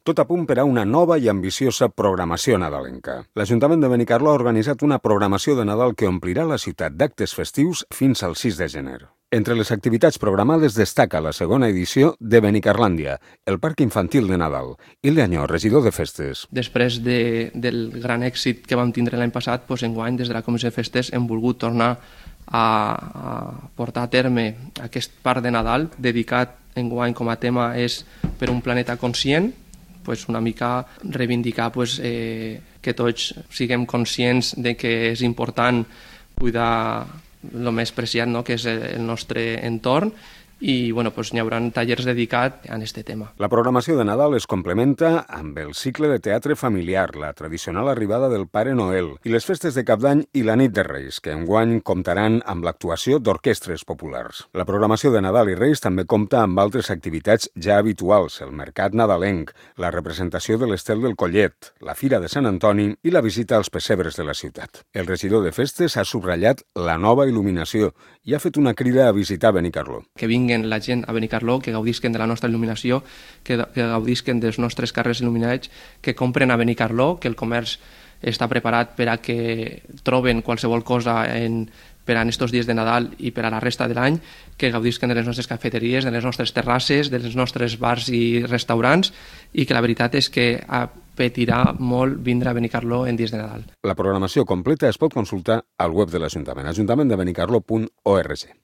Tot a punt per a una nova i ambiciosa programació nadalenca. L'Ajuntament de Benicarló ha organitzat una programació de Nadal que omplirà la ciutat d'actes festius fins al 6 de gener. Entre les activitats programades destaca la segona edició de Benicarlàndia, el Parc Infantil de Nadal. Ilde Añó, regidor de Festes. Després del gran èxit que vam tindre l'any passat, enguany des de la Comissió de Festes hem volgut tornar a portar a terme aquest Parc de Nadal, dedicat enguany com a tema és per un planeta conscient, una mica reivindicar que tots siguem conscients de que és important cuidar el més preciat, que és el nostre entorn, i n'hi haurà tallers dedicats a aquest tema. La programació de Nadal es complementa amb el cicle de teatre familiar, la tradicional arribada del Pare Noel i les festes de Cap d'Any i la Nit de Reis, que enguany comptaran amb l'actuació d'orquestres populars. La programació de Nadal i Reis també compta amb altres activitats ja habituals, el mercat nadalenc, la representació de l'Estel del Collet, la Fira de Sant Antoni i la visita als pessebres de la ciutat. El regidor de Festes ha subratllat la nova il·luminació i ha fet una crida a visitar Benicarló. Que vinguin la gent a Benicarló, que gaudisquen de la nostra il·luminació, que gaudisquen dels nostres carrers il·luminats, que compren a Benicarló, que el comerç està preparat per a que troben qualsevol cosa per a aquests dies de Nadal i per a la resta de l'any, que gaudisquen de les nostres cafeteries, de les nostres terrasses, dels nostres bars i restaurants, i que la veritat és que apetirà molt vindre a Benicarló en dies de Nadal. La programació completa es pot consultar al web de l'Ajuntament, ajuntamendeBenicarló.org.